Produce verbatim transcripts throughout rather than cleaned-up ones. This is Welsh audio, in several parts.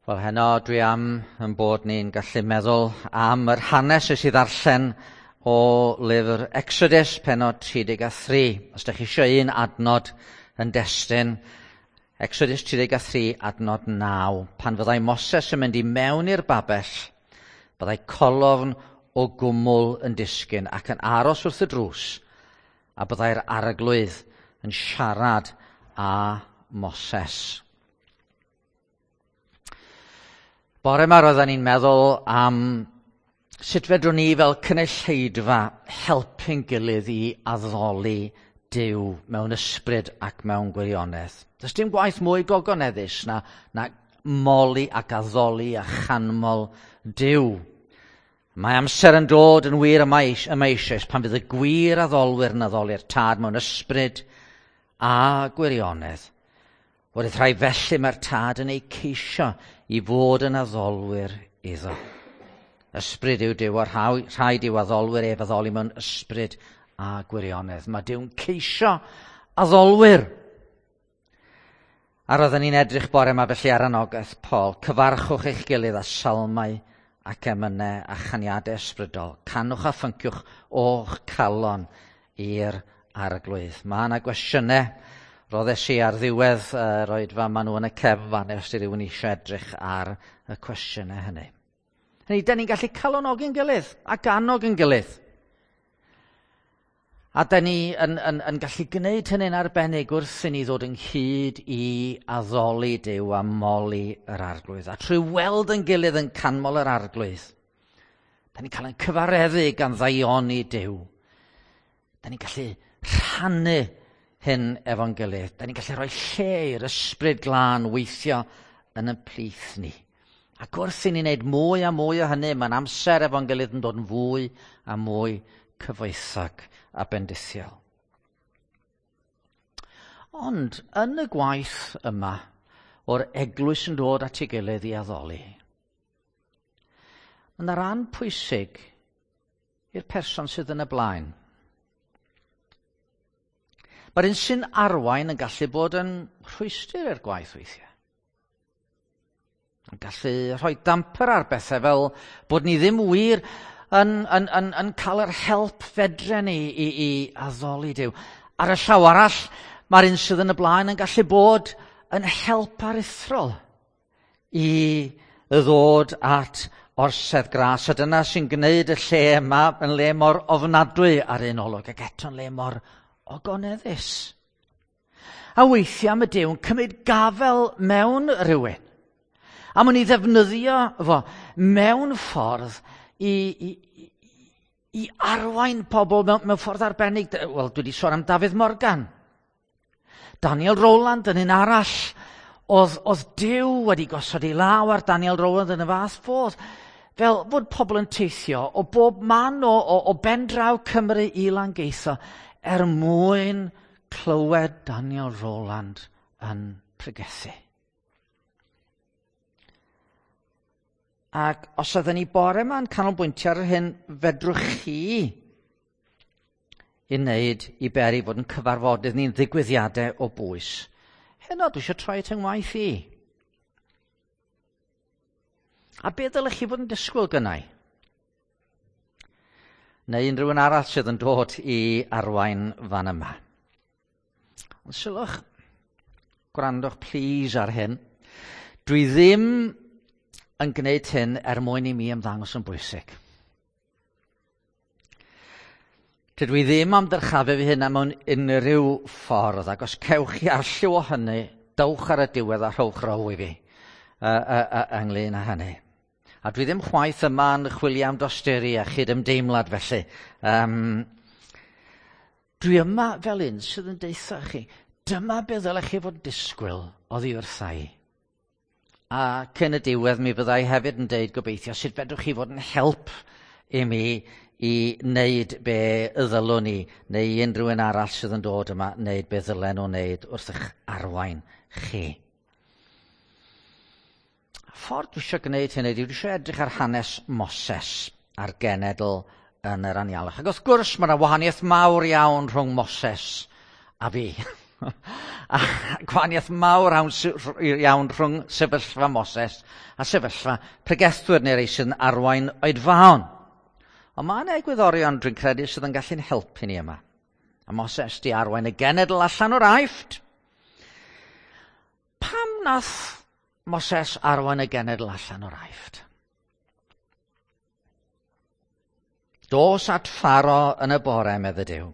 Wel, heno dwi am yn bod ni'n gallu meddwl am yr hanes nes i ddarllen o lyfr Exodus, pennod tri deg a thri. Os ydych chi eisiau un adnod yn destun, Exodus tri deg a thri, adnod naw. Pan fyddai Moses yn mynd i mewn i'r babell, byddai colofn o gwmwl yn disgyn ac yn aros wrth y drws, a byddai'r arglwydd yn siarad â Moses. Bore yma roedden ni'n meddwl am sut fedrwn ni fel cynulleidfa helpu'n gilydd i addoli Duw mewn ysbryd ac mewn gwirionedd. Does dim gwaith mwy gogoneddus na, na moli ac addoli a chanmol Duw. Mae amser yn dod yn wir yma eisoes pan fydd y gwir addolwyr yn addoli'r Tad mewn ysbryd a gwirionedd. Wrth rhai felly mae'r Tad yn eu ceisio i fod yn addolwyr iddo. Ysbryd yw Duw, a rhaid i'w addolwyr ef addoli mewn ysbryd a gwirionedd. Mae Duw'n ceisio addolwyr. A roedden ni'n edrych bore yma felly ar anogaeth Paul. Cyfarchwch eich gilydd â salmau ac emynau a chaniadau ysbrydol. Canwch a phynciwch o'ch calon i'r arglwydd. Mae yna gwestiynau roddes i ar ddiwedd yr uh, oedfa, maen nhw yn y cefn fan os di rhywun eisiau edrych ar y cwestiynau hynny. Hynny, da ni'n gallu calonogi'n gilydd ac annog yn gilydd. A da ni yn, yn, yn gallu gwneud hynny'n arbennig wrth i ni ddod ynghyd i addoli Duw a moli yr arglwydd. A trwy weld yn gilydd yn canmol yr arglwydd, da ni'n cael ein cyfareddu gan ddaioni Duw. Da ni'n gallu rhannu hyn efo'n gilydd. Da ni'n gallu rhoi lle i'r ysbryd glân weithio yn y plith ni. Ac wrth i ni wneud mwy a mwy o hynny, mae'n amser efo'n gilydd yn dod yn fwy a mwy cyfoethog a bendithiol. Ond yn y gwaith yma, o'r eglwys yn dod at ei gilydd i addoli, mae yna ran pwysig i'r person sydd yn y blaen. Mae'r un sy'n arwain yn gallu bod yn rhwystr i'r gwaith weithiau. Yn gallu rhoi damper ar bethau fel bod ni ddim wir yn, yn, yn, yn cael yr help fedren ni i, i addoli Duw. Ar y llaw arall, mae'r un sydd yn y blaen yn gallu bod yn help aruthrol i ddod at orsedd gras. A dyna sy'n gwneud y lle yma yn le mor ofnadwy ar un olwg, ac eto'n le mor ogoneddus. A weithiau mae Duw yn cymryd gafel mewn rhywun. A mwyn i ddefnyddio fo mewn ffordd i, i, i arwain pobl mewn, mewn ffordd arbennig. Wel, dwi wedi sôn am Dafydd Morgan. Daniel Rowland yn un arall. Oedd, oedd Duw wedi gosod ei law ar Daniel Rowland yn y fath fodd. Fel fod pobl yn teithio o bob man o, o, o ben draw Cymru i Langeitho er mwyn clywed Daniel Rowland yn pregethu. Ac os ydyn ni bore yma'n canolbwyntio ar hyn, fedrwch chi i wneud i beri fod yn cyfarfodydd ni'n ddigwyddiadau o bwys. Heno, dwi eisiau troi at yng ngwaith i. A be ddylech chi fod yn disgwyl gynnau? Neu unrhyw un arall sydd yn dod i arwain fan yma. Ond sylwch, gwrandwch please ar hyn. Dwi ddim yn gwneud hyn er mwyn i mi ymddangos yn bwysig. Dydw i ddim am dyrchafu fi hynna mewn unrhyw ffordd, ac os cewch chi arlliw o hynny, dowch ar y diwedd a rhowch row i fi uh, uh, uh, ynglyn â hynny. A dwi ddim chwaith yma yn chwilio am dosturi a chydymdeimlad felly. Um, dwi yma fel un sydd yn deutha chi, dyma be ddylech chi fod yn disgwyl oddi wrtha i. A cyn y diwedd mi fyddai hefyd yn deud gobeithio sut fedrwch chi fod yn help i mi i wneud be ddylwn ni, neu unrhyw un arall sydd yn dod yma wneud be ddylen nhw wneud wrth eich arwain chi. Y ffordd dwi eisiau gwneud hynny ydy dwi eisiau edrych ar hanes Moses a'r genedl yn yr anialwch. Ac wrth gwrs mae yna wahaniaeth mawr iawn rhwng Moses a fi. A gwahaniaeth mawr iawn rhwng sefyllfa Moses a sefyllfa pregethwyr neu rei sydd yn arwain oedfaon. Ond mae yna egwyddorion dwi'n credu sydd yn gallu'n helpu ni yma. A Moses di arwain y genedl allan o'r Aifft. Pam nath Moses arwain y genedl allan o'r Aifft? Dos at Pharo yn y bore, medde Duw.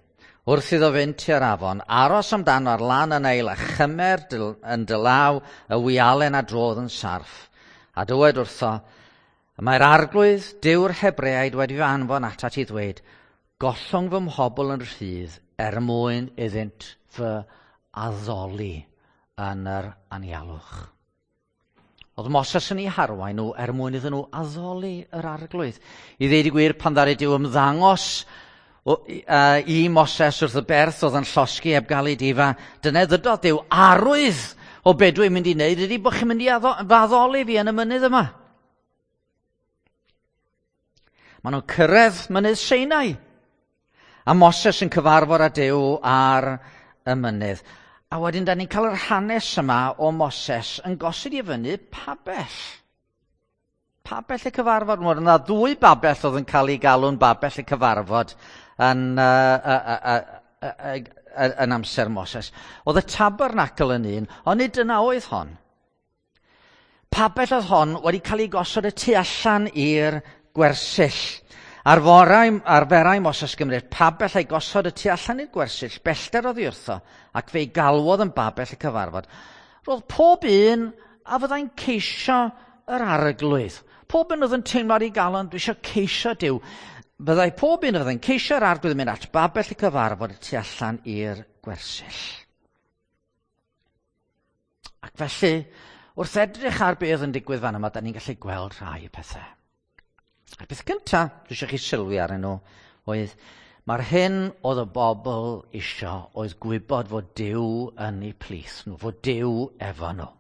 Wrth iddo fynd tua'r afon, aros amdano ar lan y Neil a chymer yn dy law y wialen a drodd yn sarff. A dywed wrtho, mae'r arglwydd, Duw'r Hebreaid, wedi fy anfon atat i ddweud, gollwng fy mhobl yn rhydd er mwyn iddynt fy addoli yn yr anialwch. Oedd Moses yn ei harwain nhw er mwyn iddyn nhw addoli yr arglwydd. I ddeud y gwir, pan ddaru Duw ymddangos i Moses wrth y berth oedd yn llosgi heb gael ei difa, dyna ddydodd Duw, arwydd o be dwi'n mynd i wneud ydy bod chi'n mynd i addoli fi yn y mynydd yma. Maen nhw'n cyrraedd mynydd Sinai. A Moses yn cyfarfod â Duw ar y mynydd. A wedyn, da ni'n cael yr hanes yma o Moses yn gosod i fyny pabell. Pabell y cyfarfod. Mae yna ddwy babell oedd yn cael ei galw'n babell y cyfarfod yn, uh, uh, uh, uh, uh, uh, yn amser Moses. Oedd y tabernacl yn un, ond nid dyna oedd hon. Pabell oedd hon wedi cael ei gosod y tu allan i'r gwersyll. Arforai, arferai Moses gymryd pabell a'i gosod y tu allan i'r gwersyll, bellter oddi wrtho, ac fe'i galwodd yn babell y cyfarfod. Roedd pob un a fyddai'n ceisio yr arglwydd. Pob un oedd yn teimlo ar ei galon, dwi eisiau ceisio Duw. Byddai pob un a fyddai'n ceisio yr arglwydd yn mynd at babell y cyfarfod y tu allan i'r gwersyll. Ac felly, wrth edrych ar beth yn digwydd fan yma, da ni'n gallu gweld rhai pethau. A'r peth cyntaf, dwi eisiau chi sylwi arnyn nhw, oedd mae'r hyn oedd y bobl isio oedd gwybod fod Duw yn eu plith nhw, fod Duw efo nhw.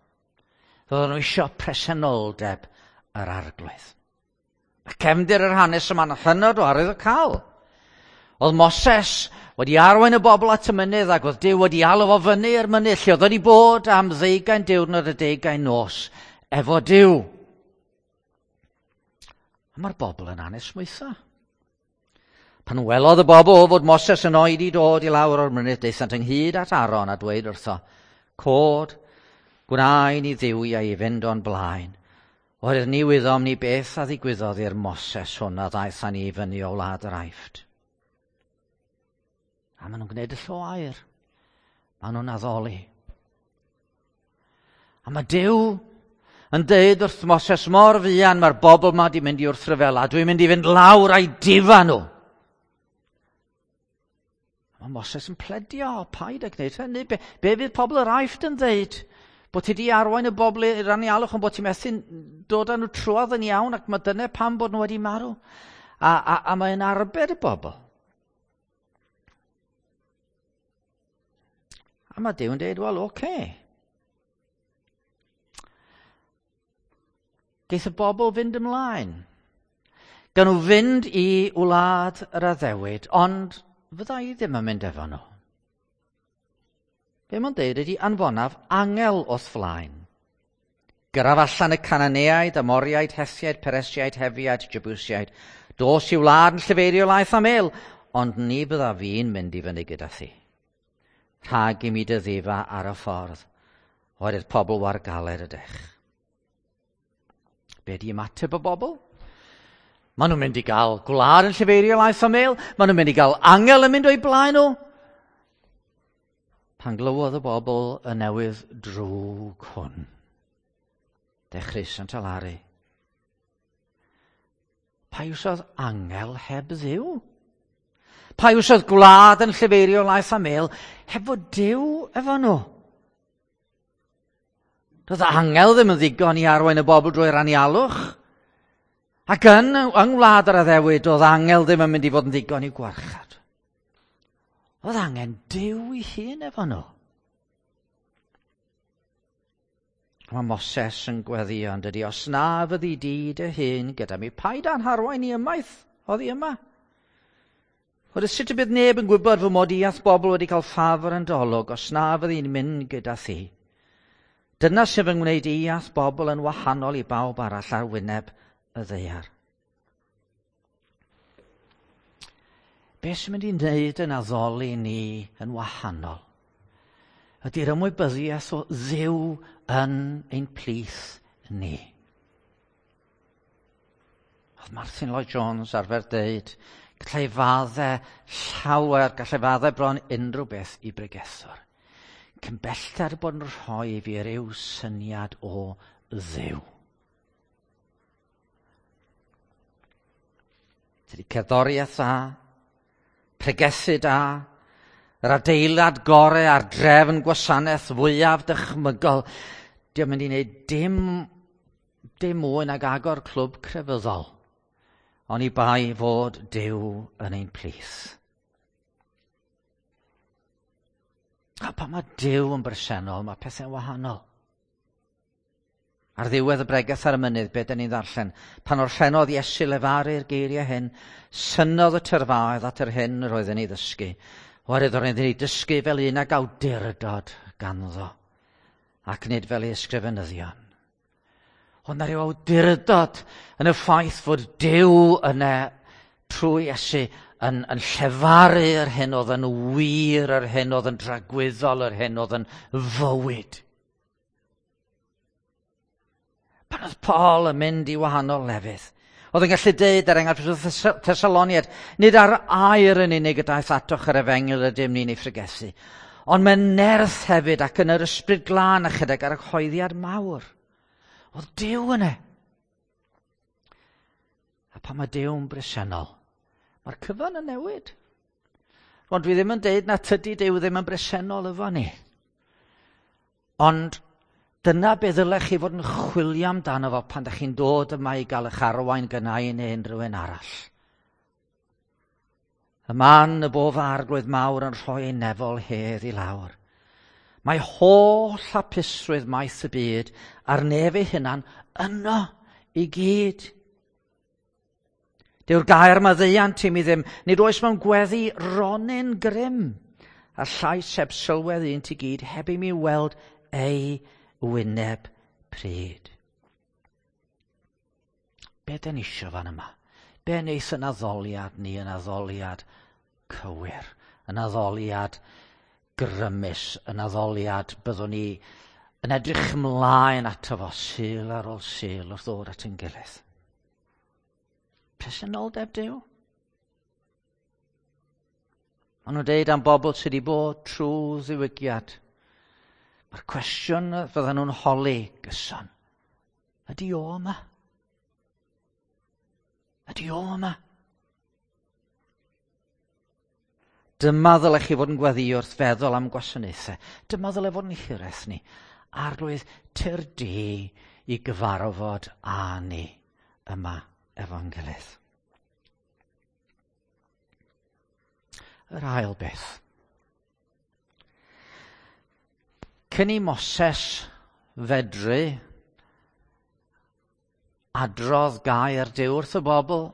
Roedden nhw isio presenoldeb yr arglwydd. A cefndir yr hanes yma'n hynod o arwyddocaol. Oedd Moses wedi arwain y bobl at y mynydd ac oedd Duw wedi alw fo fyny i'r mynydd lle oedd wedi bod am ddeugain diwrnod a deugain nos efo Duw. A mae'r bobl yn anesmwytho. Pan welodd y bobl fod Moses yn oedi dod i lawr o'r mynydd, daethant ynghyd at Aaron a dweud wrtho, cod, gwna i ni dduwiau i fynd o'n blaen. Oherwydd ni wyddom ni beth a ddigwyddodd i'r Moses hwn a ddaeth â ni i fyny o wlad yr Aifft. A maen nhw'n gwneud y llo aur. Maen nhw'n addoli. A mae Duw yn deud wrth Moses mor fuan mae'r bobl yma di mynd i wrthryfela, dwi'n mynd i fynd lawr a'i difa nhw. Mae Moses yn pledio, paid â gwneud hynny. Be, be fydd pobl yr Aifft yn dweud? Bod ti di arwain y bobl i'r anialwch ond bod ti methu dod â nhw trwodd yn iawn ac mae dyna pam bod nhw wedi marw. A, a, a mae'n arbed y bobl. A mae Duw yn dweud, wel, oce. Okay. Geith y bobl fynd ymlaen. Gan nhw fynd i wlad yr addewid, ond fydda i ddim yn mynd efo nhw. Be mae'n deud ydy anfonaf angel o'th flaen. Gyrraf allan y Cananeaid, Amoriaid, Hethiaid, Peresiaid, Hefiaid, Jebusiaid. Dos i wlad yn llefeirio laeth a mel, ond ni bydda fi'n mynd i fyny gyda thi. Rhag i mi dy ddifa ar y ffordd, oherwydd pobl war galed ydych. Be di ymateb y bobl? Maen nhw'n mynd i gael gwlad yn llefeirio laeth a mel. Maen nhw'n mynd i gael angel yn mynd o'i blaen nhw. Pan glywodd y bobl y newydd drwg hwn, dechreuasant alaru. Pa iwsodd angel heb Dduw? Pa iwsodd gwlad yn llefeirio laeth a mel heb fod Duw efo nhw? Doedd angel ddim yn ddigon i arwain y bobl drwy'r anialwch. Ac yn, yng ngwlad yr addewid, oedd angel ddim yn mynd i fod yn ddigon i'w gwarchod. Oedd angen Duw ei hun efo nhw. Mae Moses yn gweddïo yn dydi, os na fyddi di dy hun gyda mi, paid â'n harwain i ymaith oddi yma. Oherwydd sut y bydd neb yn gwybod fy mod i a'th bobl wedi cael ffafr yn dy olwg os na fyddi'n mynd gyda thi? Dyna sy'n fy ngwneud i a'th bobl yn wahanol i bawb arall ar wyneb y ddaear. Be sy'n mynd i wneud yn addoli ni yn wahanol ydy'r ymwybyddiaeth o Dduw yn ein plith ni. Oedd Martin Lloyd Jones arfer deud, gallai faddau llawer, gallai faddau bron unrhyw beth i bregethwr. Cyn bellter bod yn rhoi i fi ryw syniad o Dduw. Tydi cerddoriaeth dda, pregethu da, yr adeilad gorau a'r drefn gwasanaeth fwyaf dychmygol, dio'm mynd i wneud dim, dim mwy nag agor clwb crefyddol, oni bai fod Duw yn ein plith. A pan mae Duw yn bresennol, mae pethau'n wahanol. Ar ddiwedd y bregeth ar y mynydd, be dyn ni'n ddarllen? Pan orffennodd Iesu lefaru'r geiriau hyn, synnodd y tyrfaoedd at yr hyn yr oedd yn ei ddysgu. Oherwydd roedd yn ei dysgu fel un ag awdurdod ganddo, ac nid fel ei ysgrifenyddion. Ond na ryw awdurdod yn y ffaith fod Duw yna trwy Iesu yn, yn llefaru yr hyn oedd yn wir, yr hyn oedd yn dragwyddol, yr hyn oedd yn fywyd. Pan oedd Paul yn mynd i wahanol lefydd, oedd yn gallu deud er enghraifft wrth Thessaloniaid, nid ar air yn unig y daeth atoch yr efengyl ydym ni'n ei phregethu, ond mewn nerth hefyd ac yn yr ysbryd glân a chydag argyhoeddiad mawr. Oedd Duw yna. A pan mae Duw'n bresennol, mae'r cyfan yn newid. Ond dwi ddim yn deud na tydi Duw ddim yn bresennol efo ni. Ond dyna be ddylech chi fod yn chwilio amdano fo pan ydych chi'n dod yma i gael eich arwain gynnau neu unrhyw un arall. Y man y bo fy arglwydd mawr yn rhoi ei nefol hedd i lawr. Mae holl hapusrwydd maith y byd a'r nef ei hunan yno i gyd. Dyw'r gair maddeuant i mi ddim, nid oes mewn gweddi ronyn grym, a llais heb sylwedd un ti gyd heb i mi weld ei wyneb pryd. Be dyn ni isio fan yma? Be wneith yn addoliad ni yn addoliad cywir, yn addoliad grymus, yn addoliad byddwn ni yn edrych ymlaen ato fo Sul ar ôl Sul wrth ddod at ein gilydd? Presenoldeb Duw. Maen nhw'n deud am bobl sydd wedi bod trwy ddiwygiad. Mae'r cwestiwn fydden nhw'n holi gyson. Ydy o yma? Ydy o yma? Dyma ddylech chi fod yn gweddïo wrth feddwl am gwasanaethau. Dyma ddyle fod yn hiraeth ni. Arglwydd, tyrd di i gyfarfod â ni yma efo'n gilydd. Yr ail beth. Cyn i Moses fedru adrodd gair Duw wrth y bobl,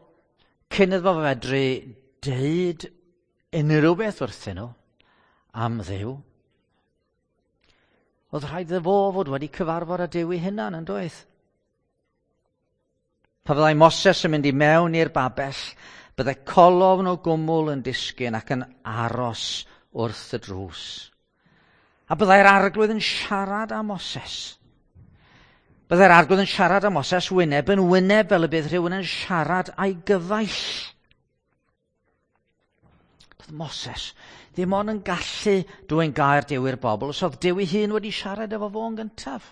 cyn iddo fo fedru deud unrhyw beth wrthyn nhw am Dduw, oedd rhaid iddo fo fod wedi cyfarfod â Duw ei hunan, yn doedd? Pa fyddai Moses yn mynd i mewn i'r babell, byddai colofn o gwmwl yn disgyn ac yn aros wrth y drws. A byddai'r arglwydd yn siarad â Moses. Byddai'r arglwydd yn siarad â Moses wyneb yn wyneb fel y bydd rhywun yn siarad â'i gyfaill. Doedd Moses ddim ond yn gallu dwyn gair Duw i'r bobl os oedd Duw ei hun wedi siarad efo fo yn gyntaf.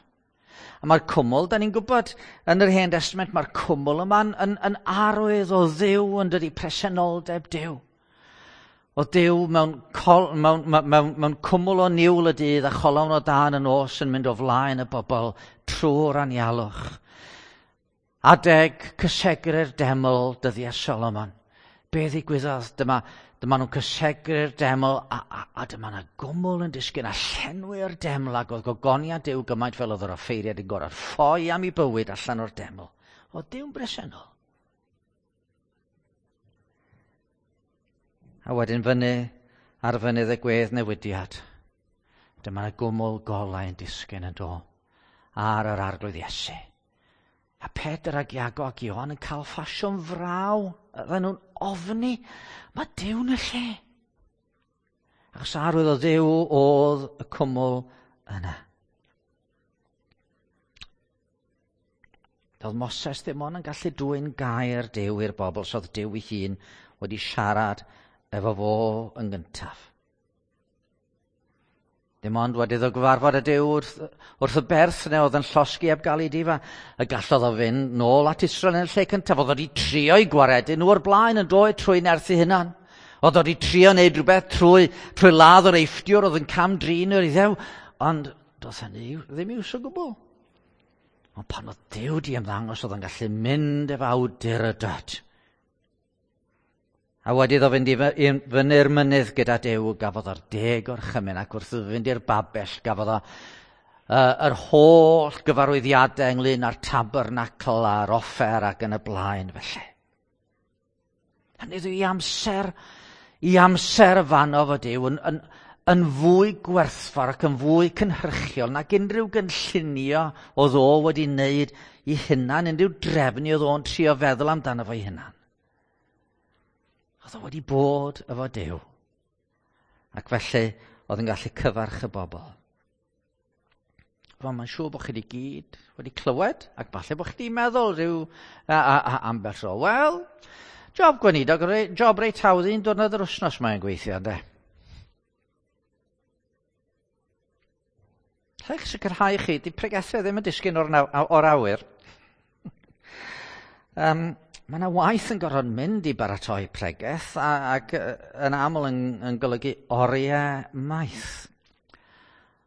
A mae'r cwmwl, da ni'n gwybod, yn yr Hen Testament, mae'r cwmwl yma'n yn, yn arwydd o Dduw yn dydi, presenoldeb Duw. O Duw mewn, col, mewn, mewn, mewn cwmwl o niwl y dydd a cholofn o dân y nos yn mynd o flaen y bobl trwy'r anialwch. Adeg cysegru'r deml dyddiau Solomon. Be ddigwyddodd? Dyma, dyma nhw'n cysegru'r deml a, a, a dyma yna gwmwl yn disgyn a llenwi'r deml ac oedd gogoniant Duw gymaint fel oedd yr offeiriad yn gorfod ffoi am ei bywyd allan o'r deml. Oedd Duw'n bresennol. A wedyn fyny ar fynydd y gwedd newidiad. Dyma y gwmwl golau yn disgyn yn do ar yr Arglwydd Iesu. A Pedr ac Iago ac Ioan yn cael ffasiwn fraw. Oedden nhw'n ofni. Mae Duw yn y lle. Achos arwydd o Dduw oedd y cwmwl yna. Doedd Moses ddim ond yn gallu dwyn gair Duw i'r bobl, so oedd Duw ei hun wedi siarad efo fo yn gyntaf. Dim ond wedi iddo gyfarfod y Duw wrth, wrth y berth neu oedd yn llosgi heb gael ei difa, y gallodd o fynd nôl at Israel yn y lle cyntaf. Oedd wedi trio i gwaredu nhw o'r blaen yn dod trwy nerth ei hunan. Oedd wedi trio wneud rhywbeth trwy, trwy ladd yr Eifftiwr oedd yn cam-drin yr Iddew, ond doedd hynny ddim iws o gwbl. Ond pan oedd Duw di ymddangos, oedd yn gallu mynd efo awdurdod. A wedi iddo fynd i fyny'r mynydd gyda Duw, gafodd o'r deg orchymyn, ac wrth iddo fynd i'r babell, gafodd o uh, yr holl gyfarwyddiadau ynglyn â'r tabernacl a'r offer ac yn y blaen felly. Hynny yw i amser, i amser fanno fo Duw yn, yn, yn fwy gwerthfawr ac yn fwy cynhyrchiol nag unrhyw gynllunio oedd o wedi wneud i hunan, unrhyw drefnu oedd o'n trio feddwl amdano fo'i hunan. Oedd o wedi bod efo Duw. Ac felly oedd yn gallu cyfarch y bobl. Wel, mae'n siŵr bod chi wedi gyd wedi clywed, ac falle bod chi wedi meddwl rhyw a, a, a, ambell tro. Wel, job gweinidog, job reit hawdd un diwrnod yr wythnos mae'n gweithio, ynde? Rhaid sicrhau chi, di pregethau ddim yn disgyn o'r, o'r awyr. um, Mae yna waith yn gorfod mynd i baratoi pregeth a, ac yn aml yn, yn golygu oriau maith.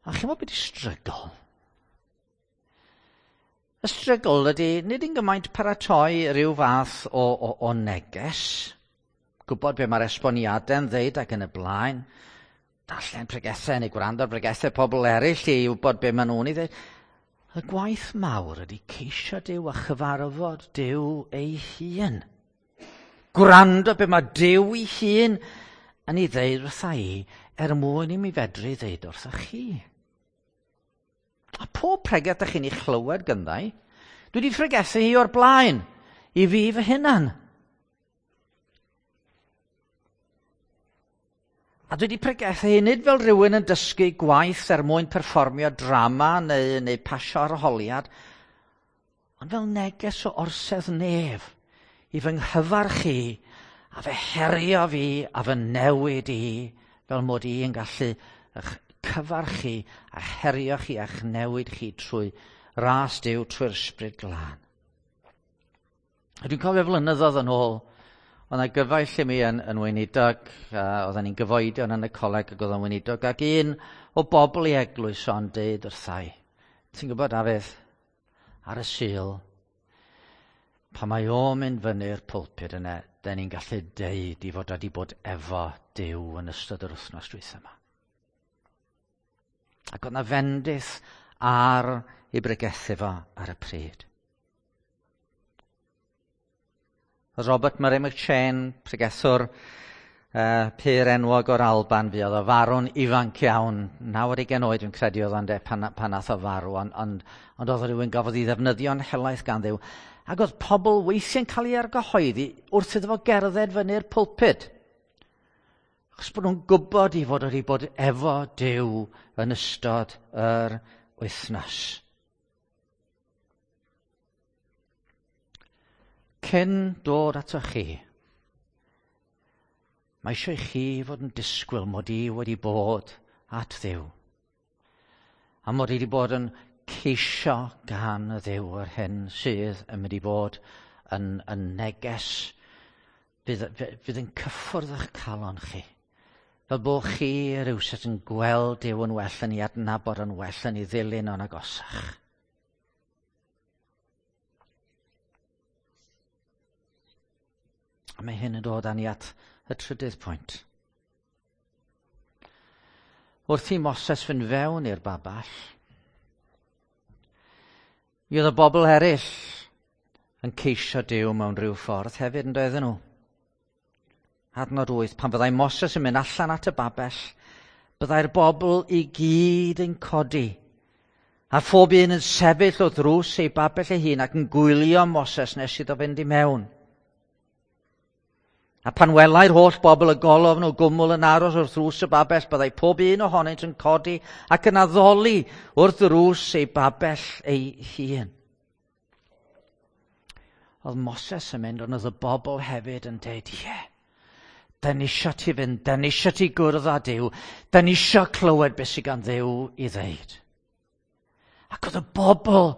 A chi'n gwybod beth ydi strygl? Y strygl ydy nid yn gymaint paratoi rhyw fath o, o, o neges, gwybod be mae'r esboniadau'n ddeud ac yn y blaen, darllen pregethau neu gwrando ar bregethau pobl eraill i wybod be maen nhw'n ei ddeud. Y gwaith mawr ydy ceisio Duw a chyfarfod Duw ei hun. Gwrando be mae Duw ei hun yn ei ddeud wrtha i er mwyn i mi fedru ddeud wrtha chi. A pob pregeth ydych chi'n ei chlywed gynddau, dwi wedi phregethu hi o'r blaen i fi fy hunan. A dwi wedi pregethu hi nid fel rhywun yn dysgu gwaith er mwyn perfformio drama neu, neu pasio arholiad, ond fel neges o orsedd nef i fy nghyfarch i a fy herio fi a fy newid i fel mod i yn gallu eich cyfarch chi a herio chi a'ch newid chi trwy ras Duw, trwy'r Ysbryd Glân. A dwi'n cofio flynyddoedd yn ôl, oedd yna gyfaill i mi yn, yn weinidog, uh, oedden ni'n gyfoedion yn y coleg ac oedd o'n weinidog, ac un o bobl i eglwys o'n deud wrthai, ti'n gwybod, Dafydd, ar y Sul, pan mae o'n mynd fyny'r pulpit yna, den ni'n gallu deud i fod wedi bod efo Duw yn ystod yr wythnos dwytha yma. Ac oedd yna fendith ar ei bregethu fo ar y pryd. Robert Murray McCheyne, pregethwr uh, pur enwog o'r Alban, fuodd o farw'n ifanc iawn, naw ar ugain oed dwi'n credu oedd o'n de pan, pan nath o farw, ond, ond, ond oedd rhywun gafodd ei ddefnyddio'n helaeth gan Dduw. Ac oedd pobl weithiau'n cael ei argyhoeddi wrth iddo fo gerdded fyny'r pulpit. Achos bod nhw'n gwybod i fod wedi bod efo Duw yn ystod yr wythnos. Cyn dod ato chi, mae eisiau i chi fod yn disgwyl mod i wedi bod at Dduw. A mod i wedi bod yn ceisio gan y Dduw yr hyn sydd yn mynd i fod yn, yn neges fydd, fydd yn cyffwrdd eich calon chi. Fel bod chi rywsut yn gweld Duw yn well, yn ei adnabod yn well, yn ei ddilyn o'n agosach. A mae hyn yn dod â ni at y trydydd pwynt. Wrth i Moses fynd fewn i'r babell, mi oedd y bobl eraill yn ceisio Duw mewn rhyw ffordd hefyd, yn doedden nhw. Adnod wyth, pan fyddai Moses yn mynd allan at y babell, byddai'r bobl i gyd yn codi, a phob un yn sefyll o ddrws ei babell ei hun ac yn gwylio Moses nes iddo fynd i mewn. A pan welai'r holl bobl y golofn o gwmwl yn aros wrth ddrws y babell, byddai pob un ohonynt yn codi ac yn addoli wrth ddrws ei babell ei hun. Oedd Moses yn mynd, ond oedd y bobl hefyd yn deud, ie, yeah, da ni isio ti fynd, da ni isio ti gwrdd â Duw, da ni isio clywed beth sydd gan Dduw i ddeud. Ac oedd y bobl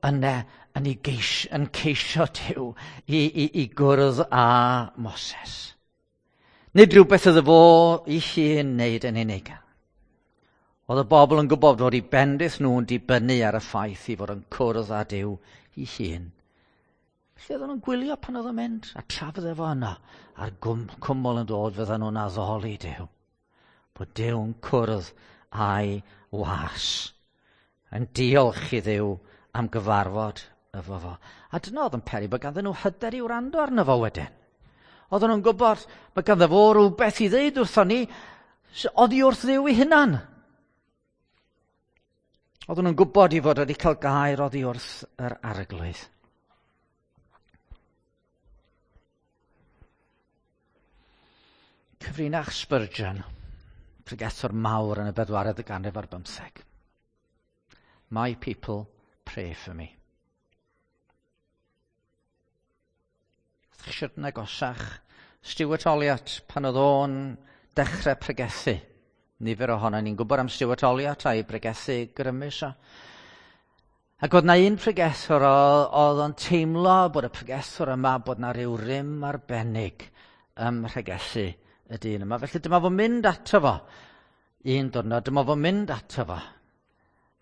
yna yn, ei geis, yn ceisio Duw i, i, i gwrdd â Moses. Nid rhywbeth oedd fo ei hun wneud yn unig. Oedd y bobl yn gwybod fod eu bendith nhw'n dibynnu ar y ffaith i fod yn cwrdd â Duw ei hun. Felly oedden nhw'n gwylio pan oedd o'n mynd, a tra fydde fo yno, a'r cwmwl yn dod, fydden nhw'n addoli Duw. Bod Duw'n cwrdd â'i was. Yn diolch i Dduw am gyfarfod efo fo. A dyna oedd yn peri bod ganddyn nhw hyder i wrando arno fo wedyn. Oedden nhw'n gwybod mae ganddo fo rhywbeth i ddeud wrthon ni oddi wrth Dduw ei hunan. Oedden nhw'n gwybod i fod wedi cael gair oddi wrth yr Arglwydd. Cyfrinach Spurgeon, pregethwr mawr yn y bedwaredd ganrif ar bymtheg. My people pray for me. Ydych chi'n agosach Stuart Olyott pan oedd o'n dechrau pregethu. Nifer ohono ni'n gwybod am Stuart Olyott a'i bregethu grymus o. Ac oedd na un pregethwr oedd o'n teimlo bod y pregethwr yma bod na ryw rym arbennig ym mhregethu y dyn yma. Felly dyma fo'n mynd ato fo. Un diwrnod, dyma fo'n mynd ato fo.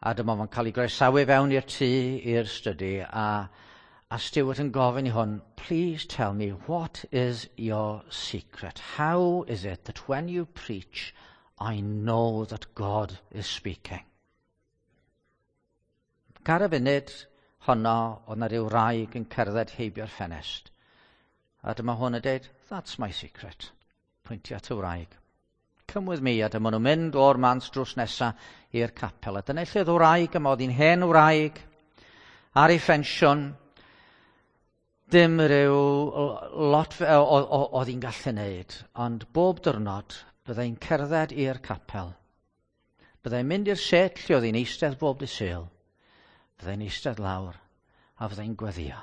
A dyma fo'n cael ei groesawu fewn i'r tŷ, i'r stydi, a, a Stuart yn gofyn i hwn, please tell me, what is your secret? How is it that when you preach, I know that God is speaking? Ar y funud honno, oedd na ryw wraig yn cerdded heibio'r ffenest. A dyma hwn yn dweud, that's my secret. Pwyntio at y wraig. Come with me, a dyma nhw'n mynd o'r mans drws nesa i'r capel. A dyna lle oedd wraig yma, oedd hi'n hen wraig, ar ei phensiwn, dim rhyw lot oedd hi'n gallu wneud, ond bob diwrnod byddai'n cerdded i'r capel. Byddai'n mynd i'r set lle oedd hi'n eistedd bob dydd Sul. Byddai'n eistedd lawr a fyddai'n gweddio.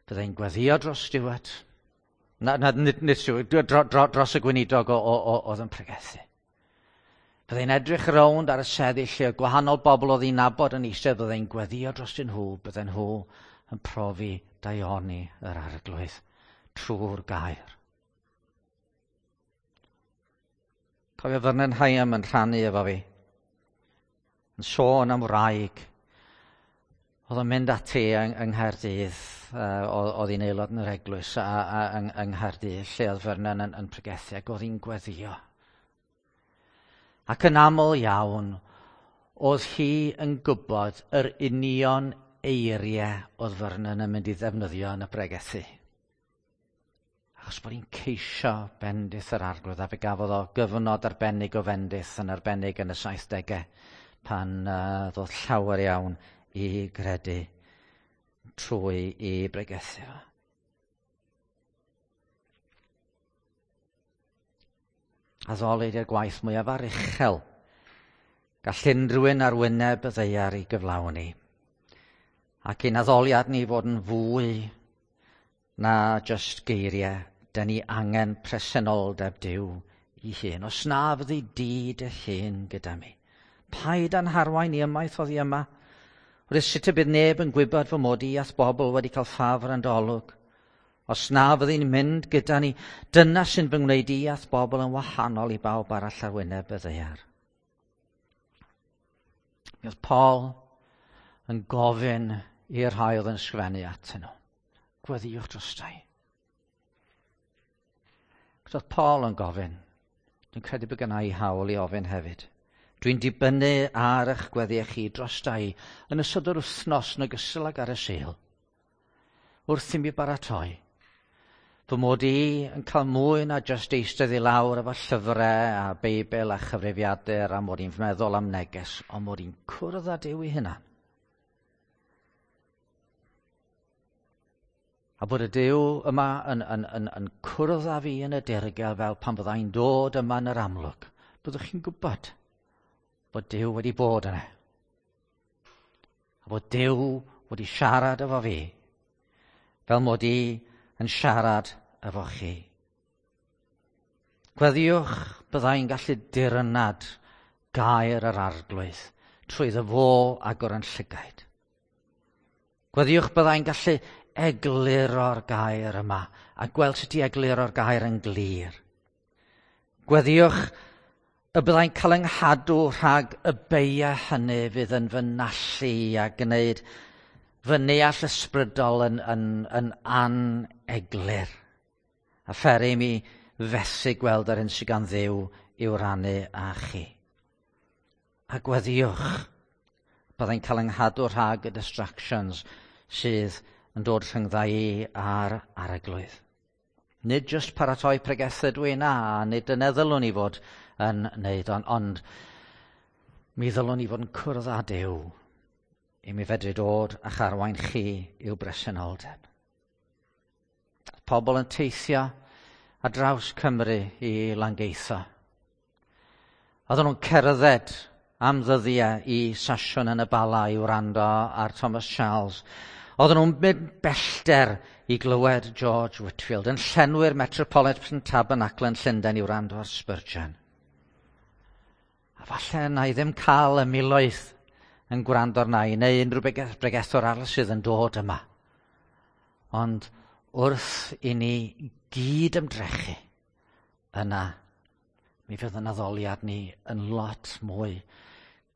Byddai'n gweddio dros Stuart. Na, na, nid, nid Stuart, dro, dro, dros y gweinidog oedd yn pregethu. Byddai'n edrych rownd ar y seddi lle gwahanol bobl oedd hi'n nabod yn eistedd, byddai'n gweddio dros nhw, bydden nhw yn profi daioni yr Arglwydd trwy'r gair. Cofio Vernon Higham yn rhannu efo fi, yn sôn am wraig. Oedd o'n mynd ati yng, yng Nghaerdydd, uh, oedd hi'n aelod yn yr eglwys a, a, yng, yng Nghaerdydd, lle oedd Vernon yn, yn pregethu, ac oedd hi'n gweddio. Ac yn aml iawn, oedd hi yn gwybod yr union eiriau oedd Vernon yn mynd i ddefnyddio yn y bregethu. Achos bod hi'n ceisio bendith yr Arglwydd, a fe gafodd o gyfnod arbennig o fendith yn arbennig yn y saithdegau, pan uh, ddodd llawer iawn i gredu trwy i bregethu fo. Addoli ydy'r gwaith mwyaf aruchel gall unrhyw un ar wyneb y ddaear i gyflawni. Ac ein addoliad ni fod yn fwy na just geiriau, da ni angen presenoldeb Duw i hun. Os na fyddi di dy hun gyda mi, paid â'n harwain i ymaith oddi yma. Wrth sut y bydd neb yn gwybod fy mod i a'th bobl wedi cael ffafr yn dy olwg. Os na fyddi'n mynd gyda ni, dyna sy'n fy ngwneud i a'th bobl yn wahanol i bawb arall ar wyneb y ddaear. Mi oedd Paul yn gofyn i'r rhai oedd yn sgrifennu atyn nhw. Gweddïwch drostai. Oedd Paul yn gofyn. Dwi'n credu bod gynna i hawl i ofyn hefyd. Dwi'n dibynnu ar eich gweddiau chi drostai yn ystod yr wythnos yn ogystal ag ar y Sul. Wrth i mi baratoi. Fy mod i yn cael mwy na jyst eistedd i lawr efo llyfrau a Beibl a chyfrifiadur a mod i'n meddwl am neges, ond mod i'n cwrdd â Duw ei hunan. A bod y Duw yma yn, yn, yn, yn cwrdd â fi yn y dirgel fel pan fyddai'n dod yma yn yr amlwg. Byddwch chi'n gwybod bod Duw wedi bod yna. A bod Duw wedi siarad efo fi, fel mod i yn siarad efo chi. Gweddïwch byddai'n gallu dirnad gair yr Arglwydd trwy iddo fo agor yn llygaid. Gweddïwch byddai'n gallu egluro'r gair yma a gweld sut i egluro'r gair yn glir. Gweddïwch y byddai'n cael yng nghadw rhag y beiau hynny fydd yn fy nallu a gwneud fy neall ysbrydol yn, yn, yn aneglur. A pheri mi fethu gweld yr hyn sydd gan Dduw i'w rannu â chi. A gweddïwch byddai'n cael yng nghadw rhag y distractions sydd yn dod rhyngdda i a'r Arglwydd. Nid jyst paratoi pregethau dwi na, nid dyna ddylwn i fod yn wneud, ond, ond mi ddylwn i fod yn cwrdd â Duw i mi fedru dod a charwain chi i'w bresenoldeb. Pobl yn teithio ar draws Cymru i Langeitho. Oedden nhw'n cerdded am ddyddiau i sasiwn yn y Bala i wrando ar Thomas Charles. Oedden nhw'n mynd bellter i glywed George Whitefield yn llenwi'r Metropolitan Tabernacle yn Llundain i wrando ar Spurgeon. A falle na i ddim cael y miloedd yn gwrando arna i, neu unrhyw bregethwr arall sydd yn dod yma. Ond wrth i ni gyd ymdrechu, yna mi fydd yn addoliad ni yn lot mwy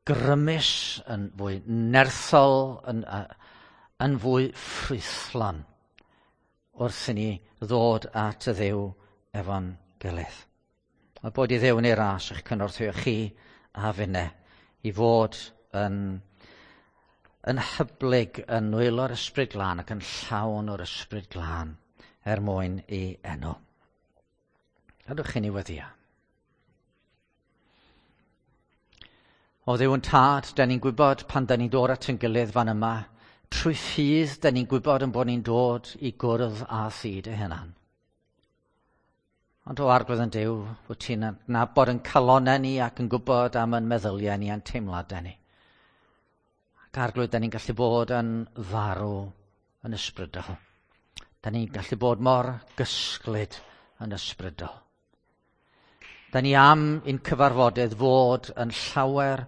grymus, yn fwy nerthol, yn, yn fwy ffrwythlon wrth i ni ddod at y Dduw efo'n gilydd. A bod i Dduw yn ei ras eich cynorthwyo chi a finne i fod yn, yn hyblyg yn nwylo'r Ysbryd Glân ac yn llawn o'r Ysbryd Glân er mwyn i enw. Gadwch chi ni weddïo. O Dduw yn Tad, da ni'n gwybod pan da ni'n dod at ein gilydd fan yma, trwy ffydd da ni'n gwybod yn bod ni'n dod i gwrdd â thi dy hunan. Ond o Arglwydd yn Duw, wyt ti'n adnabod yn calonnau ni ac yn gwybod am yn meddyliau ni a'n teimladau ni. Ac Arglwydd, da ni'n gallu bod yn farw yn ysbrydol. Da ni'n gallu bod mor gysglyd yn ysbrydol. Da ni am i'n cyfarfodydd fod yn llawer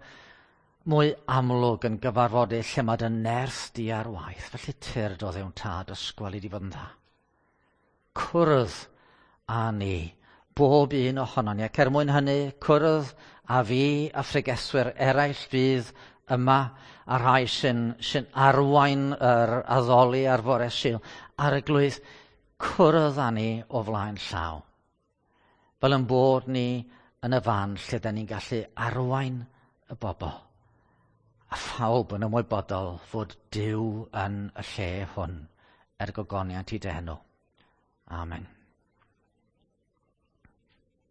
mwy amlwg yn gyfarfodydd lle mae dy nerth di ar waith. Felly tyrd o Dduw'n Tad, ysgwel i di fod yn dda. Cwrdd â ni, bob un ohonon ni. Ac er mwyn hynny, cwrdd â fi a phregethwyr eraill fydd yma a rhai sy'n, sy'n arwain yr addoli ar fore Sul. Arglwydd, cwrdd â ni o flaen llaw. Fel yn bod ni yn y fan lle da ni'n gallu arwain y bobl. A phawb yn ymwybodol fod Duw yn y lle hwn er gogoniant i dy enw. Amen.